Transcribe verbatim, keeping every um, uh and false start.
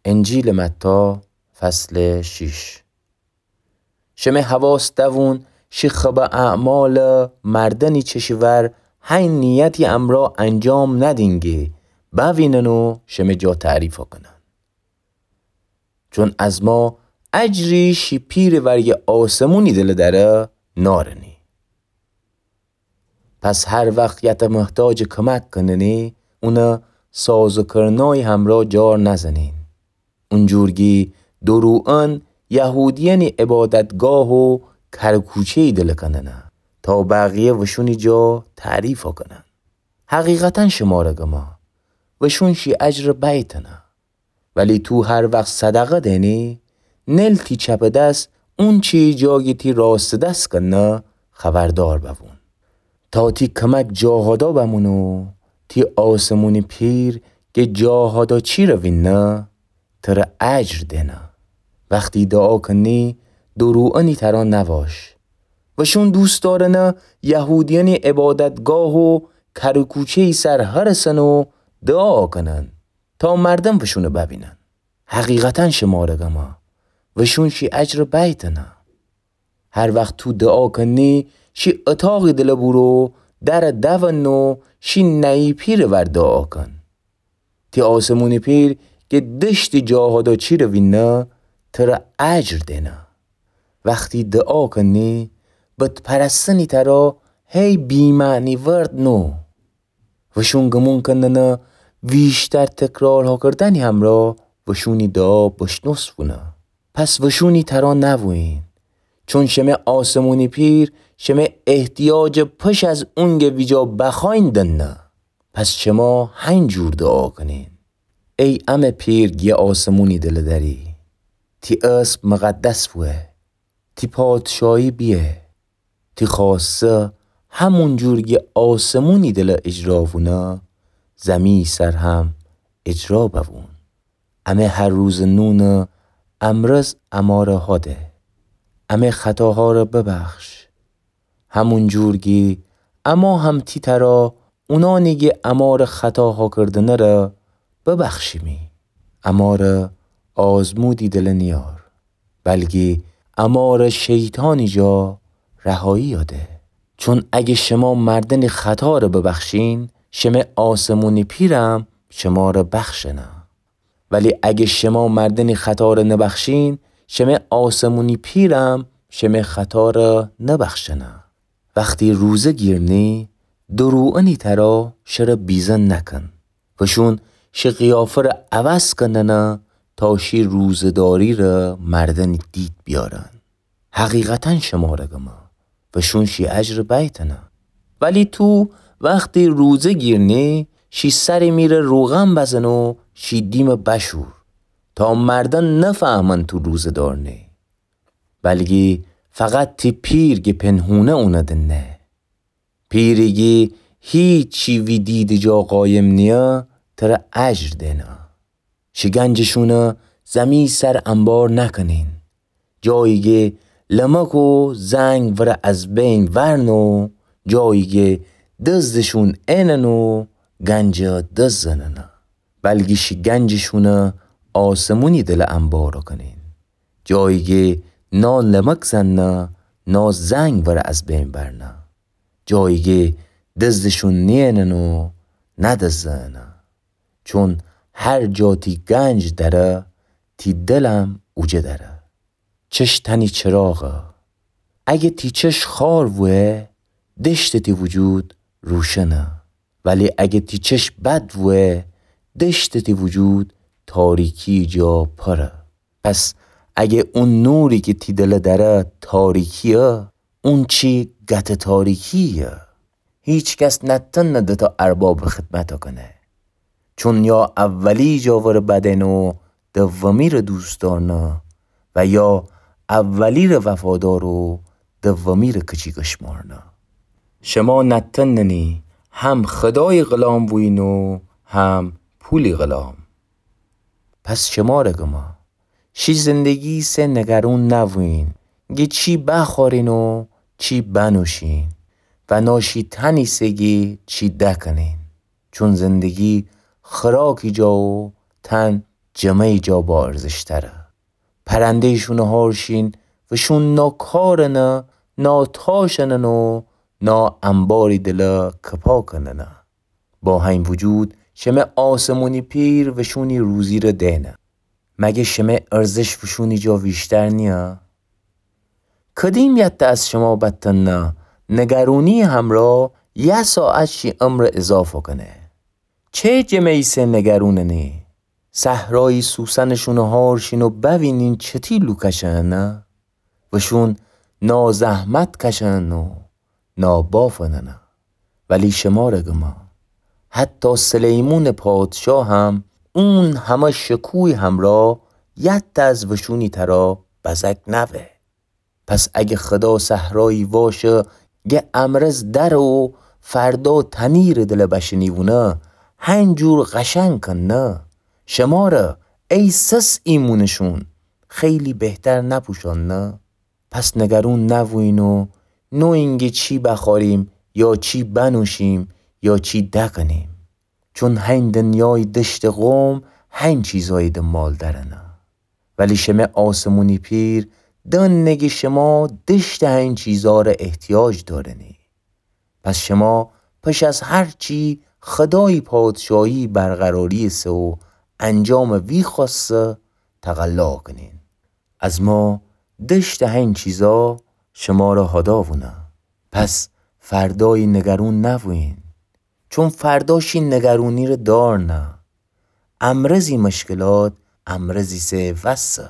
انجیلٚ متی، فصلٚ شیش. شمه حواس دأوون شی خبٚ اعمالٚ مردنی چشی ور هی نیتی امرأ انجام ندین گی بأوینن و شمه جا تعریف کنن. چون از ما اجری شی پیرٚ ورگه آسمونی دله دأره نارنی. پس هر وخت یته محتاجٚ کمک کننی، اونه ساز و کرنای همرأ جار نزنین. اونجور گی دروئن یهودیأنی عبادتگاه و کرکوچه‌یی دله کننه، تا بقیه وشونی جا تعریف کنن. حقیقتا شمره گمه، وشون شی اجر بیتنه. ولی تو هر وخت صدقه دینی، نل تی چپٚ دس اونچی جا گی تی راستٚ دس کنه خبردار ببون، تا تی کمک جا هدا بمونه و تی آسمونی پیر گه جا هدا چیره وینه، تره اجر دینه. وختی دعا کنی، دروئنی ترا نواش. وشون دوست دارنه یهودیأنی عبادتگاه و کرکوچه‌یی سر هرسن و دعا کنن، تا مردم وشونه ببینن. حقیقتا شمره گمه، وشون شی اجر بیتنه. هر وخت تو دعا کنی، شی اتاقی دله بورو، دره دون و شی نئی پیرٚ ور دعا کن. تی آسمونی پیر گه دشتی جا هدا چیره وینه، تره اجر دینه. وختی دعا کنی، بت پرستنی ترا هی بی‌معنی ورد نو. وشون گمون کننه ویشتر تکرار ها کردنی همرأ وشونی دعا بشنوس بونه. پس وشونی ترا نوویین، چون شمه آسمونی پیر شمه احتیاجٚ پش از اونگه ویجا بخوأیین دنه. پس شما هینجور دعا کنین: ای امه پیر گی آسمونی دله دأری، تی اسم مقدس بوه، تی پادشاهی بیه، تی خوأسته همونجور گی آسمونی دله اجرا بونه، زمی سر هم اجرا ببون. امه هر روزٚ نونٚ امرز امره هده. امه خطاهاره ببخش، همونجور گی اما هم تی ترا اونانی گی امره خطاها کردنه ره ببخشیمی. امره آزمودی دله نیار، بلکی امره شیطانی جا رهایی ده. چون اگه شما مردنی خطاره ببخشین، شمه آسمونی پیرم شمره بخشنه. ولی اگه شما مردنی خطاره نبخشین، شمه آسمونی پیرم شمه خطاره نبخشنه. وختی روزه گیرنی، دروئنی ترا شره بیزن نکن. وشون شی قیافه ره عوض کننه تا شی روزه‌داری ره مردنی دید بیارن. حقیقتا شمره گمه، وشون شی اجر بیتنه. ولی تو وختی روزه گیرنی، شی سر میره روغن بزن و شی دیم بشور، تا مردن نفهمن تو روزه‌دار نی. بلکی فقط تی پیر گی پنهونه اونه دنه. پیری گی هیچی وی دیدٚ جا قایم نیه، تره اجر دینه. شی گنجشونه زمی سر انبار نکنین. جایی گی لمک و زنگ وره از بین ورنه و جایی گی دزدشون اینن و گنجه دزد زننه. بلکی شی گنجشونه آسمونی دله انبار کنین. جایی گی نا لمک زننه، نا زنگ وره از بین برنه. جایی گی دزدشون نیینن و ندزدنه. چون هر جا تی گنج دره، تی دلم اوجه دره. چش تنی چراغه. اگه تی چش خوار وه، دشتٚ تی وجود روشنه. ولی اگه تی چش بد وه، دشتٚ تی وجود تاریکی جا پره. پس اگه اون نوری که تی دله دره تاریکیه، اون چی گته تاریکیه. هیچ کس نتنه دو تا اربابٚ خدمت کنه. چون یا اولی جا وره بدن و دومی ره دوست دارنه و یا اولی ره وفادار و دومی ره کچی گشمارنه. شما نتننی هم خدای غلام بوین و هم پولی غلام. پس شمره گمه، شی زندگی سه نگرون نوین، گی چی بخورین و چی بنوشین و نا شی تنی سه گی چی دکنین. چون زندگی خوراکی جا و تن جمه‌یٚ جا با ارزشتره. پرنده‌یٚ شونٚ هار شین و شون نا کارنه، نا تاشنن و نا انباری دله کپا کننه. با هین وجود شمه آسمونی پیر و شونی روزی ره دئنه. مگه شمه ارزش و شونی جا ویشتر نیه؟ کدیم یته از شما بتنه نگرونی همرا یه ساعت شی عمر اضافه کنه؟ چه جمه‌یی سه نگروننی؟ صحرایی سوسنٚ شونٚ هار شین و بوینین چتی لو کشنه؟ و شون نا زحمت کشنن و نا بافننه. ولی شمره گمه، حتی سلیمونٚ پادشاه هم اون همه شکوی همرا یته از وشونی ترا بزک نوه. پس اگه خدا صحرایی واشه گه امرز دره و فردا تنیرٚ دله بشنیوونه، هنجور قشنگ کننه، شمره ای سس ایمونٚ شون خیلی بهتر نپوشاننه؟ پس نگرون نوویین و نویین گه چی بخوریم یا چی بنوشیم یا چی دکنیم. چون هین دنیای دشتٚ قوم هین چیزای دنبال درنه. ولی شمه آسمونی پیر دانه گه شما دشتٚ هین چیزا ره احتیاج دارنی. پس شما پش از هر چی خدایی پادشاهی برقراری سه و انجامٚ وی خواسته تقلا کنین. از ما دشتٚ هین چیزا شمره هداوونه. پس فردایی نگرون نوویین، چون فردا شی نگرونی ره دارنه. امرزی مشکلات امرزی سه وسه.